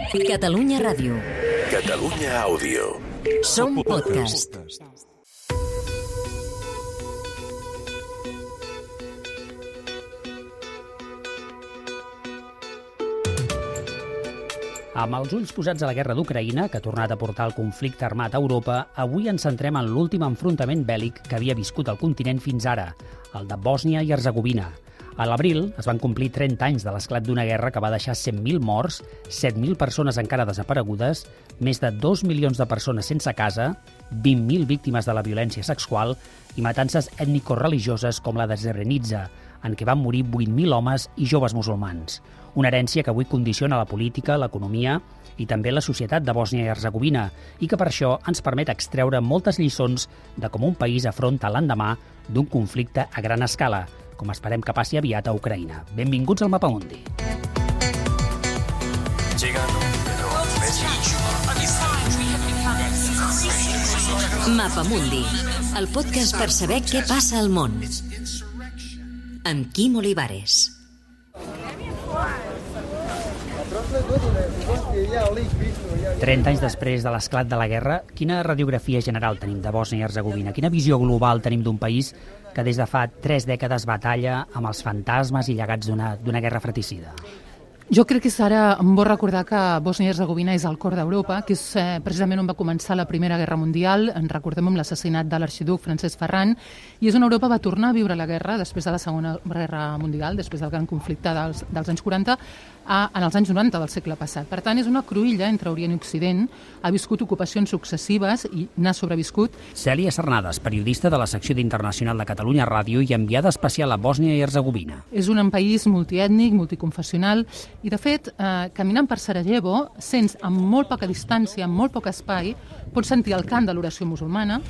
Catalunya Ràdio. Catalunya Àudio. Som podcast. Amb els ulls posats a la guerra d'Ucraïna, que ha tornat a portar el conflicte armat a Europa, avui ens centrem en l'últim enfrontament bèl·lic que havia viscut el continent fins ara, el de Bòsnia i Hercegovina. A l'abril es van complir 30 anys de l'esclat d'una guerra que va deixar 100.000 morts, 7.000 persones encara desaparegudes, més de 2 milions de persones sense casa, 20.000 víctimes de la violència sexual i matances ètnico-religioses com la de Srebrenica, en què van morir 8.000 homes i joves musulmans. Una herència que avui condiciona la política, l'economia i també la societat de Bòsnia i Hercegovina i que per això ens permet extreure moltes lliçons de com un país afronta l'endemà d'un conflicte a gran escala, com esperem que passi aviat a Ucraïna. Benvinguts al Mapamundi. Mapamundi, el podcast per saber què passa al món. Amb Quim Olivares. Trenta anys després de l'esclat de la guerra, quina radiografia general tenim de Bòsnia i Hercegovina? Quina visió global tenim d'un país que des de fa 3 dècades batalla amb els fantasmes i llegats d'una guerra fratricida? Jo crec que és ara bo recordar que Bòsnia i Hercegovina és el cor d'Europa, que és precisament on va començar la Primera Guerra Mundial, en recordem amb l'assassinat de l'arxiduc Francesc Ferran, i és on Europa va tornar a viure la guerra després de la Segona Guerra Mundial, després del gran conflicte dels anys 40, en els anys 90 del segle passat. Per tant, és una cruïlla entre Orient i Occident, ha viscut ocupacions successives i n'ha sobreviscut. Cèlia Cernades, periodista de la secció d'Internacional de Catalunya Ràdio i enviada especial a Bòsnia i Hercegovina. És un país multiètnic, multiconfessional, i de fet, caminant per Sarajevo, sents amb molt poca distància, amb molt poc espai, pots sentir el cant de l'oració musulmana,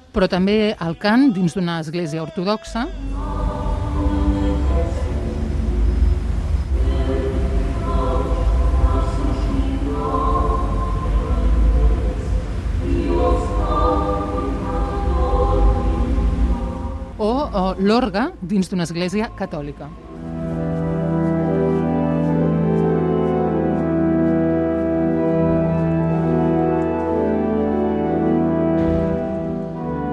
però també el cant dins d'una església ortodoxa. O l'orgue dins d'una església catòlica.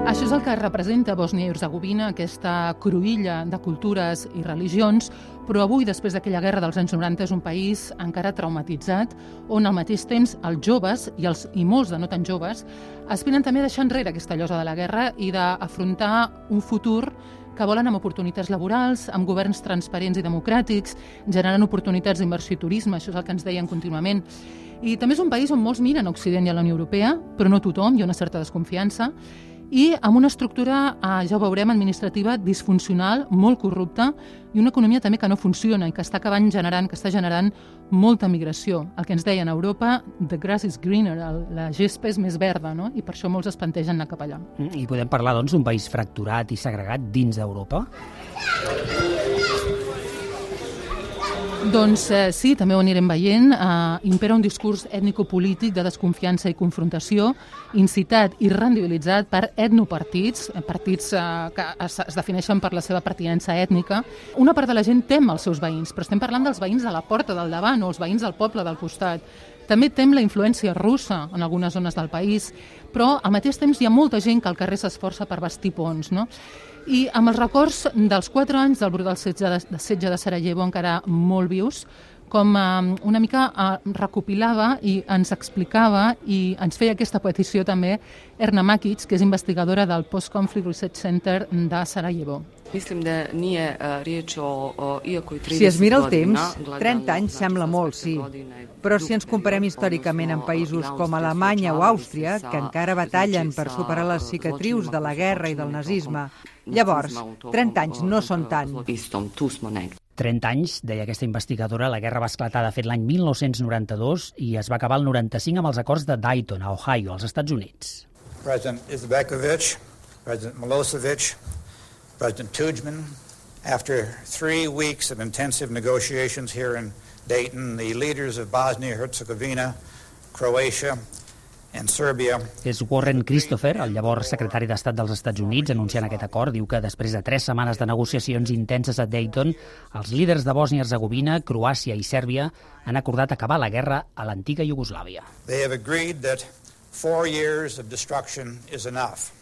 Això és el que representa Bòsnia i Hercegovina, aquesta cruïlla de cultures i religions, però avui, després d'aquella guerra dels anys 90, és un país encara traumatitzat, on al mateix temps els joves, i molts de no tan joves, aspiren també a deixar enrere aquesta llosa de la guerra i d'afrontar un futur que volen amb oportunitats laborals, amb governs transparents i democràtics, generant oportunitats d'inversió i turisme, això és el que ens deien contínuament. I també és un país on molts miren a Occident i a la Unió Europea, però no tothom, hi ha una certa desconfiança, i amb una estructura, ja ho veurem, administrativa disfuncional, molt corrupta, i una economia també que no funciona i que està generant molta migració. El que ens deien a Europa, the grass is greener, la gespa és més verda, no? I per això molts es plantegen anar cap allà. I podem parlar, doncs, d'un país fracturat i segregat dins d'Europa? Doncs sí, també ho anirem veient. Impera un discurs ètnico-polític de desconfiança i confrontació, incitat i rendibilitzat per etnopartits, partits que es defineixen per la seva pertinença ètnica. Una part de la gent tem els seus veïns, però estem parlant dels veïns de la porta del davant o els veïns del poble del costat. També tem la influència russa en algunes zones del país, però al mateix temps hi ha molta gent que al carrer s'esforça per bastir ponts, no? I amb els records dels 4 anys del brutal setge de Sarajevo encara molt vius, com una mica recopilava i ens explicava i ens feia aquesta petició també Erna Makic, que és investigadora del Post-Conflict Research Center de Sarajevo. Si es mira el temps, 30 anys sembla molt, sí. Però si ens comparem històricament amb països com Alemanya o Àustria, que encara batallen per superar les cicatrius de la guerra i del nazisme, llavors, 30 anys no són tant. 30 anys, deia aquesta investigadora, la guerra va esclatar de fet l'any 1992 i es va acabar el 95 amb els acords de Dayton, a Ohio, als Estats Units. President Izetbegovic, President Milosevic, President Tudjman, after 3 weeks of intensive negotiations here in Dayton, the leaders of Bosnia-Herzegovina Croatia, and Serbia. És Warren Christopher, el llavors secretari d'Estat dels Estats Units, anunciant aquest acord. Diu que després de 3 setmanes de negociacions intenses a Dayton, els líders de Bòsnia i Hercegovina, Croàcia i Sèrbia han acordat acabar la guerra a l'antiga Iugoslàvia. They have agreed that 4 years of destruction is enough.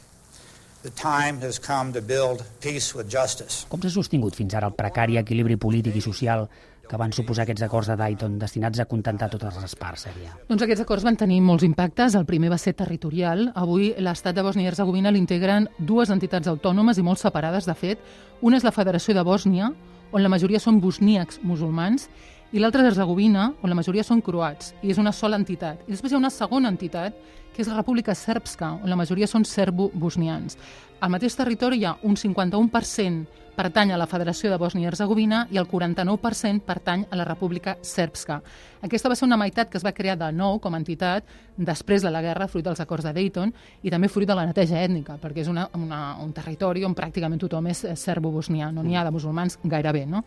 The time has come to build peace with justice. Com s'ha sostingut fins ara el precari equilibri polític i social que van suposar aquests acords de Dayton destinats a contentar totes les parts, Sèrbia? Doncs aquests acords van tenir molts impactes. El primer va ser territorial. Avui l'estat de Bòsnia i Hercegovina l'integren 2 entitats autònomes i molt separades, de fet. Una és la Federació de Bòsnia, on la majoria són bosníacs musulmans, i l'altra és Hercegovina, on la majoria són croats, i és una sola entitat. I després hi ha una segona entitat, que és la República Srpska, on la majoria són serbo-bosnians. Al mateix territori hi ha un 51% pertany a la Federació de Bòsnia i Hercegovina i el 49% pertany a la República Srpska. Aquesta va ser una meitat que es va crear de nou com a entitat després de la guerra, fruit dels acords de Dayton, i també fruit de la neteja ètnica, perquè és un territori on pràcticament tothom és serbo-bosnià, no n'hi ha de musulmans gairebé, no?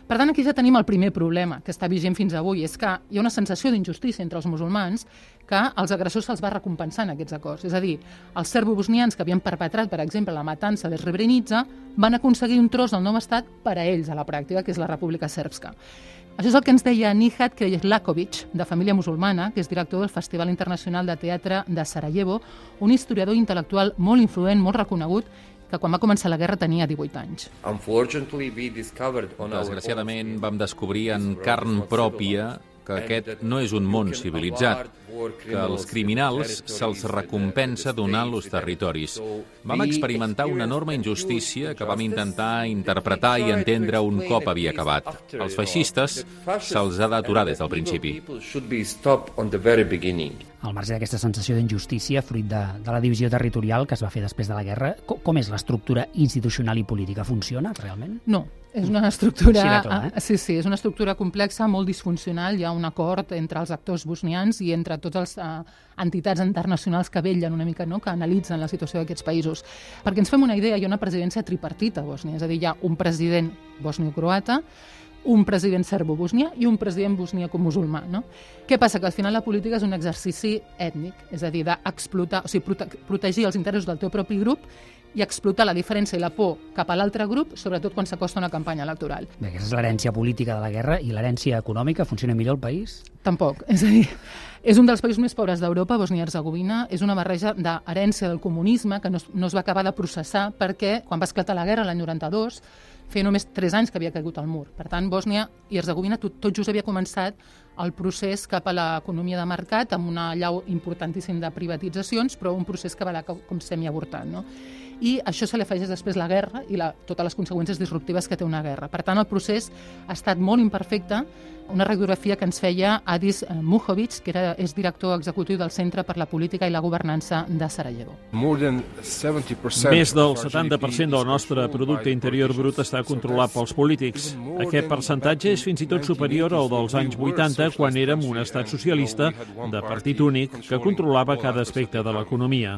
Per tant, aquí ja tenim el primer problema que està vigent fins avui, és que hi ha una sensació d'injustícia entre els musulmans que als agressors se'ls va recompensar en aquests acords. És a dir, els serbo-bosnians que havien perpetrat, per exemple, la matança de Srebrenica, van aconseguir un tros del nou estat per a ells, a la pràctica, que és la República Srpska. Això és el que ens deia Nihat Krejlakovic, de família musulmana, que és director del Festival Internacional de Teatre de Sarajevo, un historiador intel·lectual molt influent, molt reconegut, que quan va començar la guerra tenia 18 anys. Desgraciadament vam descobrir en carn pròpia que aquest no és un món civilitzat, que als criminals se'ls recompensa donant-los territoris. Vam experimentar una enorme injustícia que vam intentar interpretar i entendre un cop havia acabat. Als feixistes se'ls ha d'aturar des del principi. Al marge d'aquesta sensació d'injustícia, fruit de la divisió territorial que es va fer després de la guerra, com és l'estructura institucional i política? Funciona realment? No. És una estructura, sí, és una estructura complexa, molt disfuncional. Hi ha un acord entre els actors bosnians i entre totes les entitats internacionals que vetllen una mica, no?, que analitzen la situació d'aquests països. Perquè ens fem una idea, hi ha una presidència tripartita a Bòsnia, és a dir, hi ha un president bosnio-croata, un president serbo-bosnià i un president bosniaco-musulmà, no? Què passa? Que al final la política és un exercici ètnic, és a dir, d'explotar, o sigui, protegir els interessos del teu propi grup i explotar la diferència i la por cap a l'altre grup, sobretot quan s'acosta una campanya electoral. Bé, aquesta és l'herència política de la guerra, i l'herència econòmica. Funciona millor el país? Tampoc. És a dir, és un dels països més pobres d'Europa, Bòsnia i Hercegovina. És una barreja d'herència del comunisme que no es va acabar de processar perquè, quan va esclatar la guerra l'any 92, feia només 3 anys que havia caigut el mur. Per tant, Bòsnia i Hercegovina tot just havia començat el procés cap a l'economia de mercat, amb una allau importantíssim de privatitzacions, però un procés que va anar com semiavortat, no? I això se li afegeix després la guerra i totes les conseqüències disruptives que té una guerra. Per tant, el procés ha estat molt imperfecte. Una radiografia que ens feia Adis Mujovic, que és director executiu del Centre per la Política i la Governança de Sarajevo. Més del 70% del nostre producte interior brut està controlat pels polítics. Aquest percentatge és fins i tot superior al dels anys 80, quan érem un estat socialista de partit únic que controlava cada aspecte de l'economia.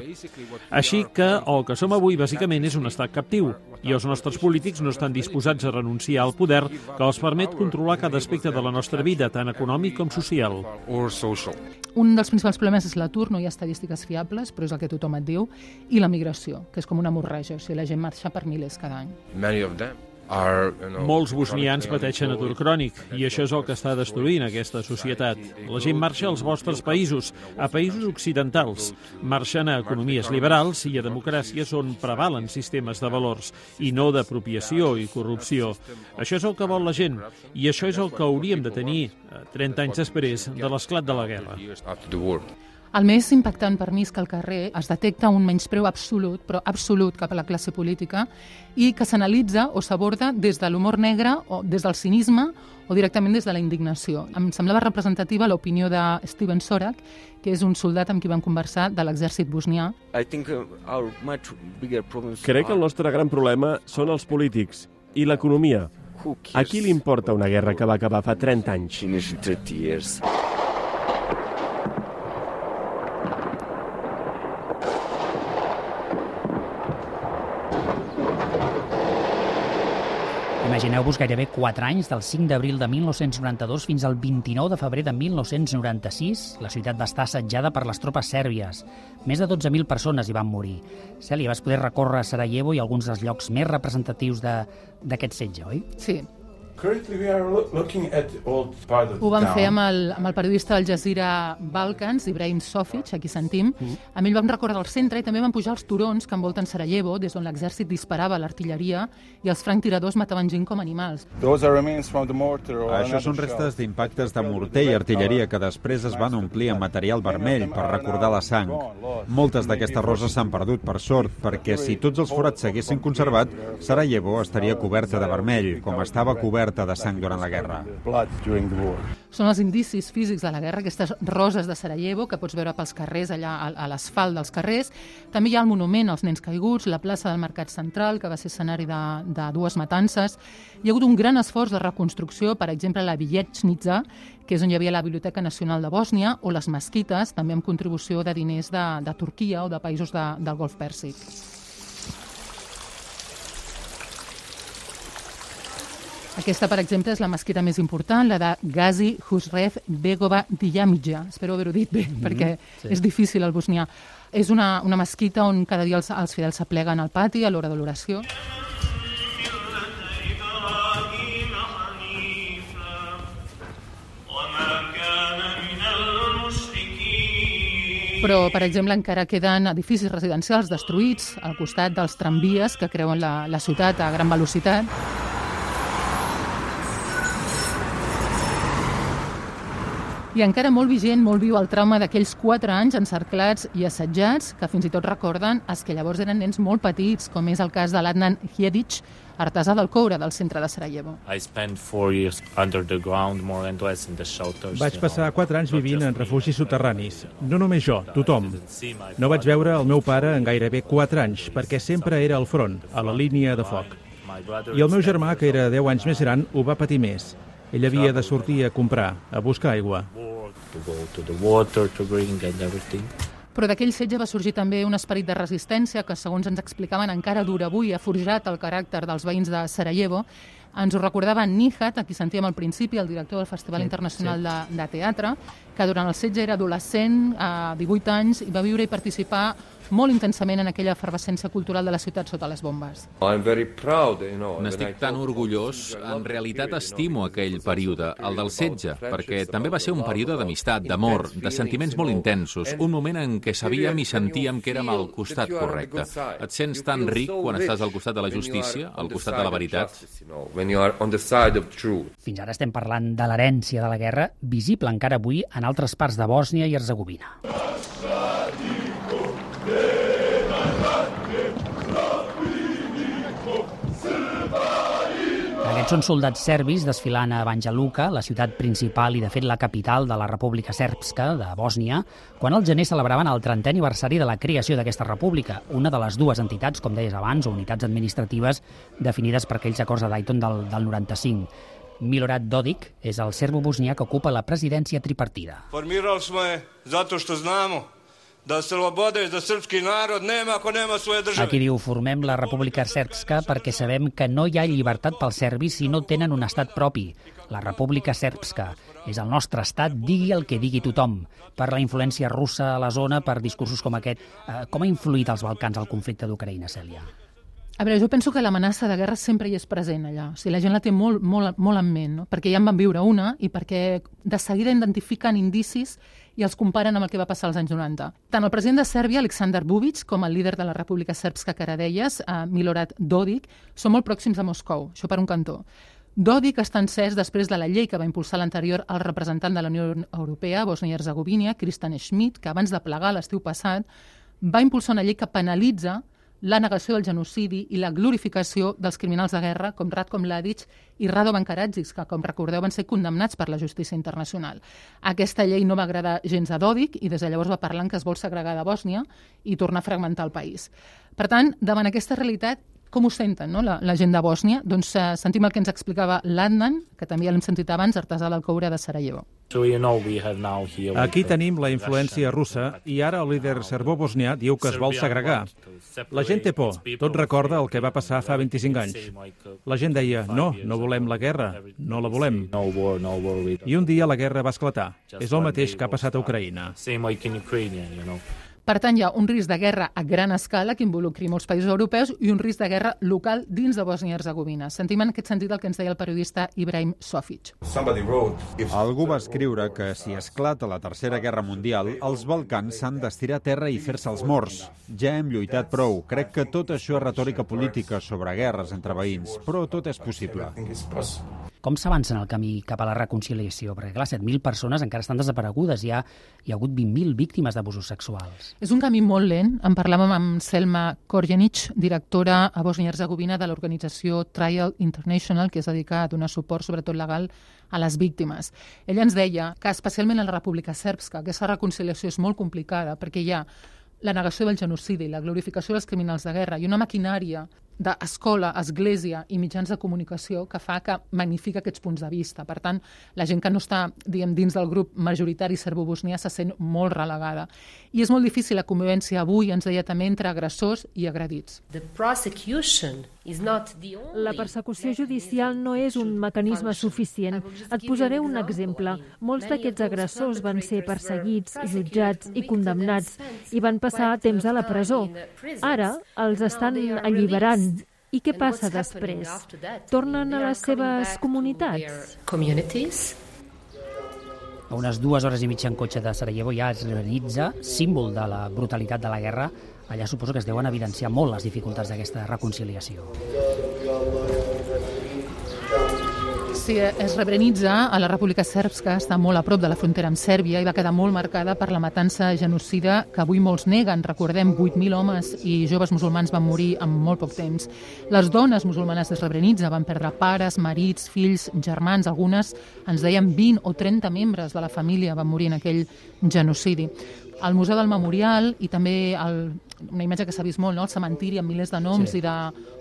Així que el que som avui bàsicament és un estat captiu, i els nostres polítics no estan disposats a renunciar al poder que els permet controlar cada aspecte de la nostra vida, tant econòmic com social. Un dels principals problemes és l'atur, no hi ha estadístiques fiables, però és el que tothom et diu, i la migració, que és com una hemorràgia, o sigui, la gent marxa per milers cada any. Molts bosnians pateixen atur crònic, i això és el que està destruint aquesta societat. La gent marxa als vostres països, a països occidentals. Marxen a economies liberals i a democràcies on prevalen sistemes de valors, i no d'apropiació i corrupció. Això és el que vol la gent, i això és el que hauríem de tenir 30 anys després de l'esclat de la guerra. El més impactant per mi és que al carrer es detecta un menyspreu absolut, però absolut, cap a la classe política, i que s'analitza o s'aborda des de l'humor negre o des del cinisme o directament des de la indignació. Em semblava representativa l'opinió de Steven Sorak, que és un soldat amb qui vam conversar de l'exèrcit bosnià. Crec que el nostre gran problema són els polítics i l'economia. A qui li importa una guerra que va acabar fa 30 anys? Imagineu-vos gairebé 4 anys, del 5 d'abril de 1992 fins al 29 de febrer de 1996. La ciutat va estar assetjada per les tropes sèrbies. Més de 12.000 persones hi van morir. Cèlia, vas poder recórrer a Sarajevo i alguns dels llocs més representatius d'aquest setge, oi? Sí. Ho vam fer amb el periodista del Jazeera Balkans, Ibrahim Sofic, aquí sentim. Amb ell vam recórrer el centre i també vam pujar els turons que envolten Sarajevo, des d'on l'exèrcit disparava l'artilleria i els franctiradors mataven gent com animals. Això són restes d'impactes de morter i artilleria que després es van omplir amb material vermell per recordar la sang. Moltes d'aquestes roses s'han perdut, per sort, perquè si tots els forats s'haguessin conservat, Sarajevo estaria coberta de vermell, com estava coberta de sang durant la guerra. Són els indicis físics de la guerra, aquestes roses de Sarajevo que pots veure pels carrers, allà a l'asfalt dels carrers. També hi ha el monument als nens caiguts, la plaça del Mercat Central, que va ser escenari de dues matances. Hi ha hagut un gran esforç de reconstrucció, per exemple, la Vijećnica, que és on hi havia la Biblioteca Nacional de Bòsnia, o les mesquites, també amb contribució de diners de Turquia o de països del Golf Pèrsic. Aquesta, per exemple, és la mesquita més important, la de Gazi Husrev Begova Diyamija. Espero haver-ho dit bé, perquè és difícil el bosnià. És una mesquita on cada dia els fidels s'apleguen al pati a l'hora de l'oració. Però, per exemple, encara queden edificis residencials destruïts al costat dels tramvies que creuen la ciutat a gran velocitat. I encara molt vigent, molt viu el trauma d'aquells 4 anys encerclats i assetjats, que fins i tot recorden els que llavors eren nens molt petits, com és el cas de l'Adnan Hjedic, artesà del coure del centre de Sarajevo. Vaig passar 4 anys vivint en refugis soterranis. No només jo, tothom. No vaig veure el meu pare en gairebé 4 anys, perquè sempre era al front, a la línia de foc. I el meu germà, que era 10 anys més gran, ho va patir més. Ell havia de sortir a comprar, a buscar aigua. Però d'aquell setge va sorgir també un esperit de resistència que, segons ens explicaven, encara dura avui, ha forjat el caràcter dels veïns de Sarajevo. Ens ho recordava Nihat, a qui sentíem al principi, el director del Festival Internacional de Teatre, que durant el setge era adolescent, a 18 anys, i va viure i participar molt intensament en aquella efervescència cultural de la ciutat sota les bombes. N'estic tan orgullós. En realitat estimo aquell període, el del setge, perquè també va ser un període d'amistat, d'amor, de sentiments molt intensos, un moment en què sabíem i sentíem que érem al costat correcte. Et sents tan ric quan estàs al costat de la justícia, al costat de la veritat. Fins ara estem parlant de l'herència de la guerra, visible encara avui en altres parts de Bòsnia i Herzegovina. Aquests són soldats serbis desfilant a Banja Luka, la ciutat principal i, de fet, la capital de la República Srpska de Bòsnia, quan al gener celebraven el 30è aniversari de la creació d'aquesta república, una de les dues entitats, com deies abans, o unitats administratives definides per aquells acords de Dayton del 95. Milorad Dodik és el serbo-bosnià que ocupa la presidència tripartida. Formirali smo je zato što znamo da sloboda i da srpski narod nema ako nema svoje države. Aquí diu, formem la República Srpska perquè sabem que no hi ha llibertat pels serbis si no tenen un estat propi. La República Srpska és el nostre estat, digui el que digui tothom. Per la influència russa a la zona, per discursos com aquest, com ha influït als Balcans el conflicte d'Ucraïna, Cèlia? A veure, jo penso que l'amenaça de guerra sempre hi és present allà. O sigui, la gent la té molt en ment, no? Perquè ja en van viure una i perquè de seguida identifiquen indicis i els comparen amb el que va passar als anys 90. Tant el president de Sèrbia, Aleksandar Vučić, com el líder de la República Srpska, que ara deies, Milorad Dodik, són molt pròxims a Moscou, això per un cantó. Dodik està encès després de la llei que va impulsar l'anterior el representant de la Unió Europea, Bòsnia i Herzegovina, Kristian Schmidt, que abans de plegar l'estiu passat va impulsar una llei que penalitza la negació del genocidi i la glorificació dels criminals de guerra com Ratko Mladic i Radovan Karadzic, que, com recordeu, van ser condemnats per la justícia internacional. Aquesta llei no va agradar gens a Dodik i des de llavors va parlar que es vol segregar de Bòsnia i tornar a fragmentar el país. Per tant, davant aquesta realitat, Com ho senten, no? la gent de Bòsnia? Doncs sentim el que ens explicava l'Adnan, que també l'hem sentit abans, artesà del coure de Sarajevo. Aquí tenim la influència russa i ara el líder serbò-bosnià diu que es vol segregar. La gent té por, tot recorda el que va passar fa 25 anys. La gent deia, no volem la guerra, no la volem. I un dia la guerra va esclatar. És el mateix que ha passat a Ucraïna. Per tant, hi ha un risc de guerra a gran escala que involucri molts països europeus i un risc de guerra local dins de Bòsnia i Hercegovina. Sentim en aquest sentit el que ens deia el periodista Ibrahim Sofic. Algú va escriure que si esclata la Tercera Guerra Mundial, els Balcans s'han d'estirar a terra i fer-se els morts. Ja hem lluitat prou. Crec que tot això és retòrica política sobre guerres entre veïns, però tot és possible. Com s'avança en el camí cap a la reconciliació? Perquè, clar, 7.000 persones encara estan desaparegudes. Hi ha hagut 20.000 víctimes d'abusos sexuals. És un camí molt lent. En parlàvem amb Selma Korjenic, directora a Bòsnia i Hercegovina de l'organització Trial International, que es dedica a donar suport, sobretot legal, a les víctimes. Ella ens deia que, especialment a la República Sèrbska, aquesta reconciliació és molt complicada perquè hi ha la negació del genocidi, la glorificació dels criminals de guerra i una maquinària d'escola, església i mitjans de comunicació que fa que magnifica aquests punts de vista. Per tant, la gent que no està, dins del grup majoritari serbo-bosnià se sent molt relegada. I és molt difícil la convivència avui, ens deia també, entre agressors i agredits. La persecució judicial no és un mecanisme suficient. Et posaré un exemple. Molts d'aquests agressors van ser perseguits, jutjats i condemnats i van passar temps a la presó. Ara els estan alliberant. I què passa després? Tornen a les seves comunitats? A unes 2 hores i mitja en cotxe de Sarajevo hi ha Srebrenica, símbol de la brutalitat de la guerra. Allà suposo que es deuen evidenciar molt les dificultats d'aquesta reconciliació. Sí, Srebrenica, a la República Sèrbska, està molt a prop de la frontera amb Sèrbia i va quedar molt marcada per la matança genocida que avui molts neguen. Recordem, 8.000 homes i joves musulmans van morir en molt poc temps. Les dones musulmanes de Srebrenica van perdre pares, marits, fills, germans. Algunes ens deien 20 o 30 membres de la família van morir en aquell genocidi. Al Museu del Memorial i també una imatge que s'ha vist molt, el cementiri amb milers de noms i de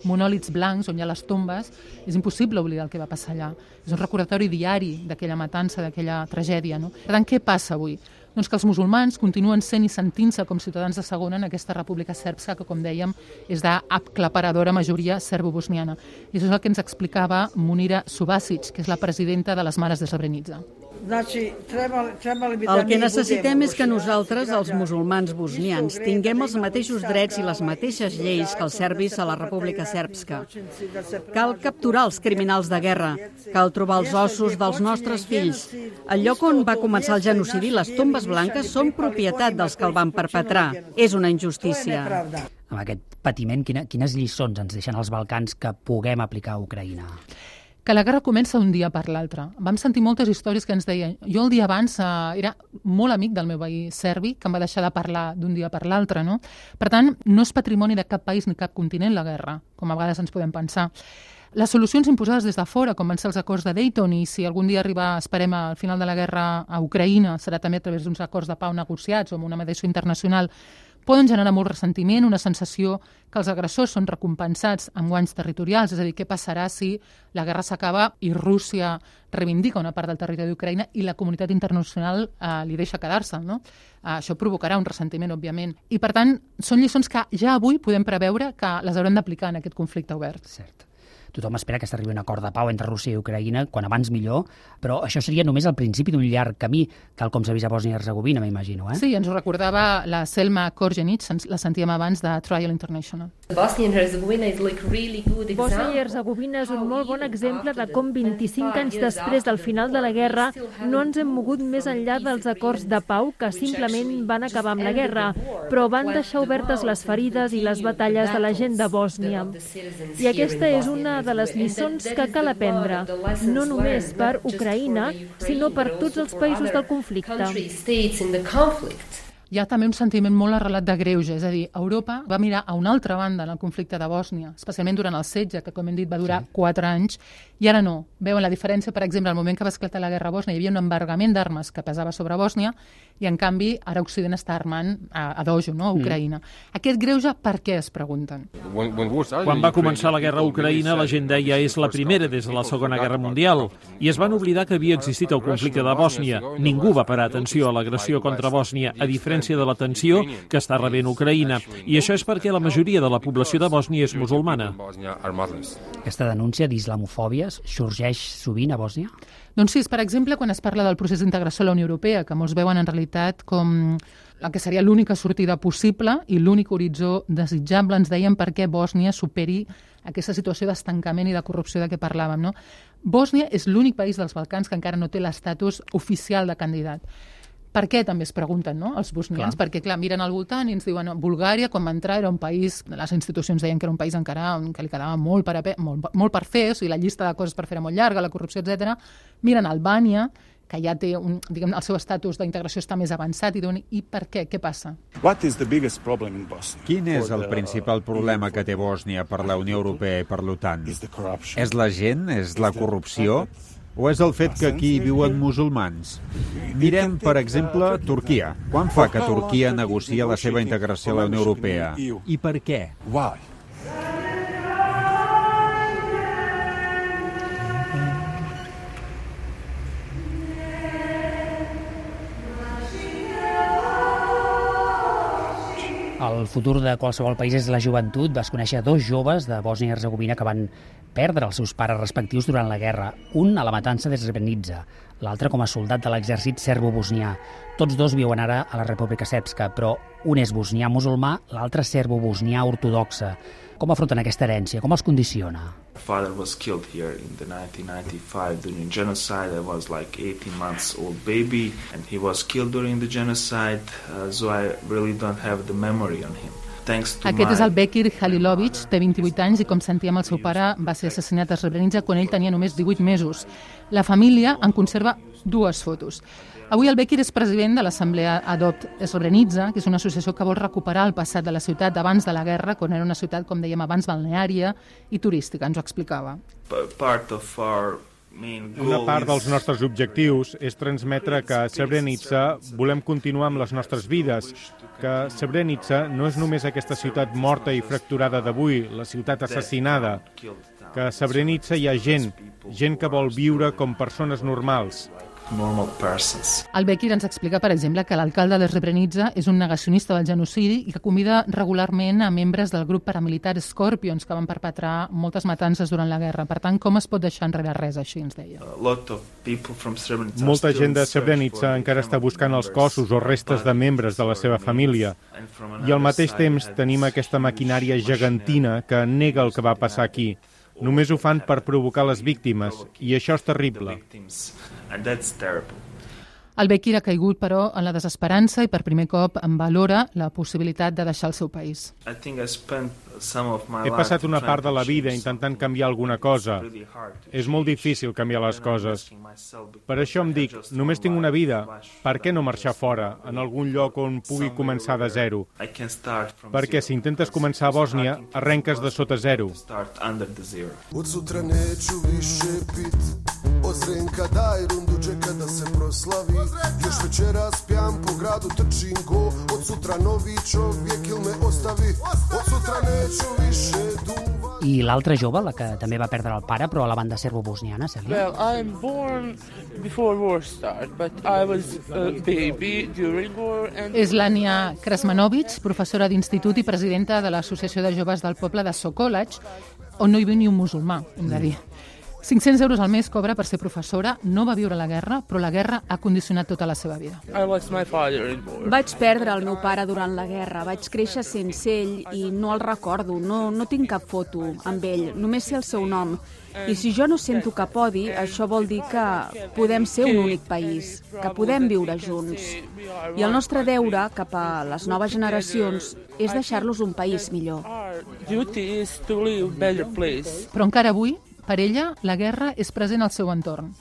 monòlits blancs on hi ha les tombes, és impossible oblidar el que va passar allà. És un recordatori diari d'aquella matança, d'aquella tragèdia. Per tant, què passa avui? Doncs que els musulmans continuen sent i sentint-se com ciutadans de segona en aquesta República Sèrbska que, com dèiem, és d'aclaparadora majoria serbo-bosniana. I això és el que ens explicava Munira Subasic, que és la presidenta de les Mares de Srebrenica. El que necessitem és que nosaltres, els musulmans bosnians, tinguem els mateixos drets i les mateixes lleis que els serbis a la República Sèrbska. Cal capturar els criminals de guerra, cal trobar els ossos dels nostres fills. El lloc on va començar el genocidi, les tombes blanques, són propietat dels que el van perpetrar. És una injustícia. Amb aquest patiment, quines lliçons ens deixen els Balcans que puguem aplicar a Ucraïna? Que la guerra comença un dia per l'altre. Vam sentir moltes històries que ens deien... Jo el dia abans era molt amic del meu veí serbi, que em va deixar de parlar d'un dia per l'altre, no? Per tant, no és patrimoni de cap país ni cap continent la guerra, com a vegades ens podem pensar. Les solucions imposades des de fora, com van ser els acords de Dayton, i si algun dia arriba, esperem, al final de la guerra a Ucraïna, serà també a través d'uns acords de pau negociats o amb una mediació internacional, poden generar molt ressentiment, una sensació que els agressors són recompensats amb guanys territorials, és a dir, què passarà si la guerra s'acaba i Rússia reivindica una part del territori d'Ucraïna i la comunitat internacional li deixa quedar-se, no? Això provocarà un ressentiment, òbviament. I, per tant, són lliçons que ja avui podem preveure que les haurem d'aplicar en aquest conflicte obert. Cert. Tothom espera que s'arribi un acord de pau entre Rússia i Ucraïna, quan abans millor, però això seria només el principi d'un llarg camí, tal com s'ha vist a Bòsnia i Hercegovina, m'imagino, eh? Sí, ens ho recordava la Selma Korjenic, la sentíem abans de Trial International. Bòsnia i Hercegovina és un molt bon exemple de com 25 anys després del final de la guerra no ens hem mogut més enllà dels acords de pau que simplement van acabar amb la guerra, però van deixar obertes les ferides i les batalles de la gent de Bòsnia. I aquesta és una de les lliçons que cal aprendre, no només per Ucraïna, sinó per tots els països del conflicte. hi ha també un sentiment molt arrelat de greuge, és a dir, Europa va mirar a una altra banda en el conflicte de Bòsnia, especialment durant el setge, que com hem dit va durar 4 anys, i ara no. Veuen la diferència, per exemple, al moment que va esclatar la guerra a Bòsnia, hi havia un embargament d'armes que pesava sobre Bòsnia, i en canvi ara Occident està armant a dojo, no? A Ucraïna. Aquest greuge, per què es pregunten? Quan va començar la guerra a Ucraïna, la gent deia és la primera des de la Segona Guerra Mundial, i es van oblidar que havia existit el conflicte de Bòsnia. Ningú va parar atenció a l'agressió contra Bòsnia, a diferència de l'atenció que està rebent Ucraïna. I això és perquè la majoria de la població de Bòsnia és musulmana. Aquesta denúncia d'islamofòbia sorgeix sovint a Bòsnia? Doncs sí, per exemple, quan es parla del procés d'integració a la Unió Europea, que molts veuen en realitat com la que seria l'única sortida possible i l'únic horitzó desitjable, ens deien perquè Bòsnia superi aquesta situació d'estancament i de corrupció de què parlàvem, no? Bòsnia és l'únic país dels Balcans que encara no té l'estatus oficial de candidat. Per què també es pregunten, no?, els bosnians? Perquè, clar, miren al voltant i ens diuen Bulgària, quan va entrar, era un país, les institucions deien que era un país encara que li quedava molt per fer, o sigui, la llista de coses per fer era molt llarga, la corrupció, etc. Miren Albània, que ja té, el seu estatus d'integració està més avançat, i diuen, i per què? Què passa? Quin és el principal problema que té Bòsnia per la Unió Europea i per l'OTAN? És la gent? És la corrupció? O és el fet que aquí viuen musulmans? Mirem, per exemple, Turquia. Quan fa que Turquia negocia la seva integració a la Unió Europea? I per què? El futur de qualsevol país és la joventut. Vas conèixer 2 joves de Bòsnia i Hercegovina que van perdre els seus pares respectius durant la guerra, un a la matança de Srebrenica, l'altre com a soldat de l'exèrcit serbo-bosnià. Tots 2 viuen ara a la República Srpska, però un és bosnià musulmà, l'altre serbo-bosnià ortodoxa. Com afronten aquesta herència? Com els condiciona? Father was killed here in the 1995 during genocide. I was like 18 months old baby and he was killed during the genocide, so I really don't have the memory on him. Aquest és el Bekir Halilovic, té 28 anys i, com sentíem, el seu pare va ser assassinat a Srebrenica quan ell tenia només 18 mesos. La família en conserva 2 fotos. Avui el Bekir és president de l'Assemblea Adopt Srebrenica, que és una associació que vol recuperar el passat de la ciutat abans de la guerra, quan era una ciutat, com dèiem abans, balneària i turística. Ens ho explicava. Una part dels nostres objectius és transmetre que a Srebrenica volem continuar amb les nostres vides, que Srebrenica no és només aquesta ciutat morta i fracturada d'avui, la ciutat assassinada, que a Srebrenica hi ha gent que vol viure com persones normals. El Bekir ens explica, per exemple, que l'alcalde de Srebrenica és un negacionista del genocidi i que convida regularment a membres del grup paramilitar Scorpions, que van perpetrar moltes matances durant la guerra. Per tant, com es pot deixar enrere res així, ens deia? Molta gent de Srebrenica encara està buscant els cossos o restes de membres de la seva família. I al mateix temps tenim aquesta maquinària gegantina que nega el que va passar aquí. Només ho fan per provocar les víctimes, i això és terrible. El Bekir ha caigut, però, en la desesperança i per primer cop en valora la possibilitat de deixar el seu país. He passat una part de la vida intentant canviar alguna cosa. És molt difícil canviar les coses. Per això em dic, només tinc una vida, per què no marxar fora, en algun lloc on pugui començar de zero? Perquè si intentes començar a Bòsnia, arrenques de sota zero. Od sutra neću više pit, od Zrenka daj rundu džeka da se proslavi. Još večeras pijam po gradu trčim go, od sutra novi čovjek il me ostavi, od sutra neću više duva. I l'altra jove, la que també va perdre el pare, però a la banda serbo-bosniana, Cèlia? Well, I'm born before war started, but I was a baby during war. És l'Ània Krasmanovic, professora d'institut i presidenta de l'Associació de Joves del Poble de Sokolac, on no hi viu ni un musulmà, hem de dir. 500 euros al mes cobra per ser professora, no va viure la guerra, però la guerra ha condicionat tota la seva vida. Vaig perdre el meu pare durant la guerra, vaig créixer sense ell i no el recordo, no tinc cap foto amb ell, només sé el seu nom. I si jo no sento cap odi, això vol dir que podem ser un únic país, que podem viure junts. I el nostre deure cap a les noves generacions és deixar-los un país millor. Però encara avui, per ella, la guerra és present al seu entorn.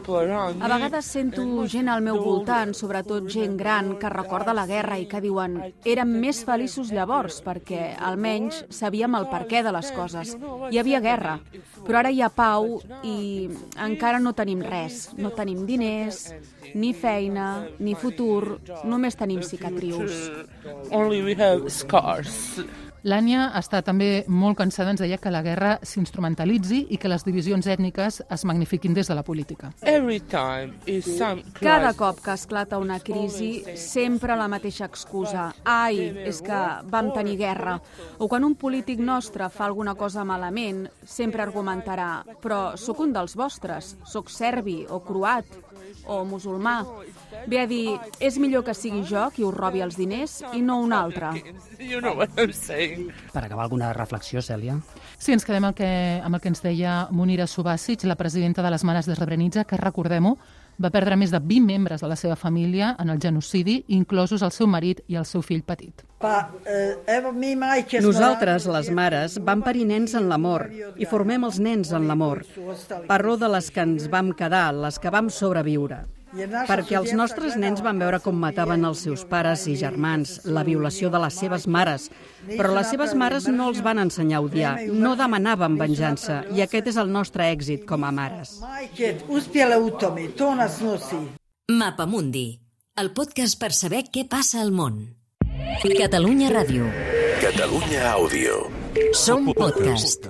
A vegades sento gent al meu voltant, sobretot gent gran, que recorda la guerra i que diuen érem més feliços llavors perquè almenys sabíem el perquè de les coses. Hi havia guerra, però ara hi ha pau i encara no tenim res. No tenim diners, ni feina, ni futur, només tenim cicatrius. L'Ània està també molt cansada, ens deia, que la guerra s'instrumentalitzi i que les divisions ètniques es magnifiquin des de la política. Cada cop que esclata una crisi, sempre la mateixa excusa. Ai, és que vam tenir guerra. O quan un polític nostre fa alguna cosa malament, sempre argumentarà però sóc un dels vostres, sóc serbi o croat o musulmà. Ve a dir, és millor que sigui jo qui us robi els diners i no un altre. Per acabar, alguna reflexió, Cèlia? Sí, ens quedem amb el que ens deia Munira Subasic, la presidenta de les Mares de Srebrenica, que, recordem-ho, va perdre més de 20 membres de la seva família en el genocidi, inclosos el seu marit i el seu fill petit. Nosaltres, les mares, vam parir nens en l'amor i formem els nens en l'amor. Parlo de les que ens vam quedar, les que vam sobreviure. Perquè els nostres nens van veure com mataven els seus pares i germans, la violació de les seves mares. Però les seves mares no els van ensenyar a odiar, no demanaven venjança, i aquest és el nostre èxit com a mares. Mapamundi, el podcast per saber què passa al món. Catalunya Ràdio. Catalunya Àudio. Som podcast.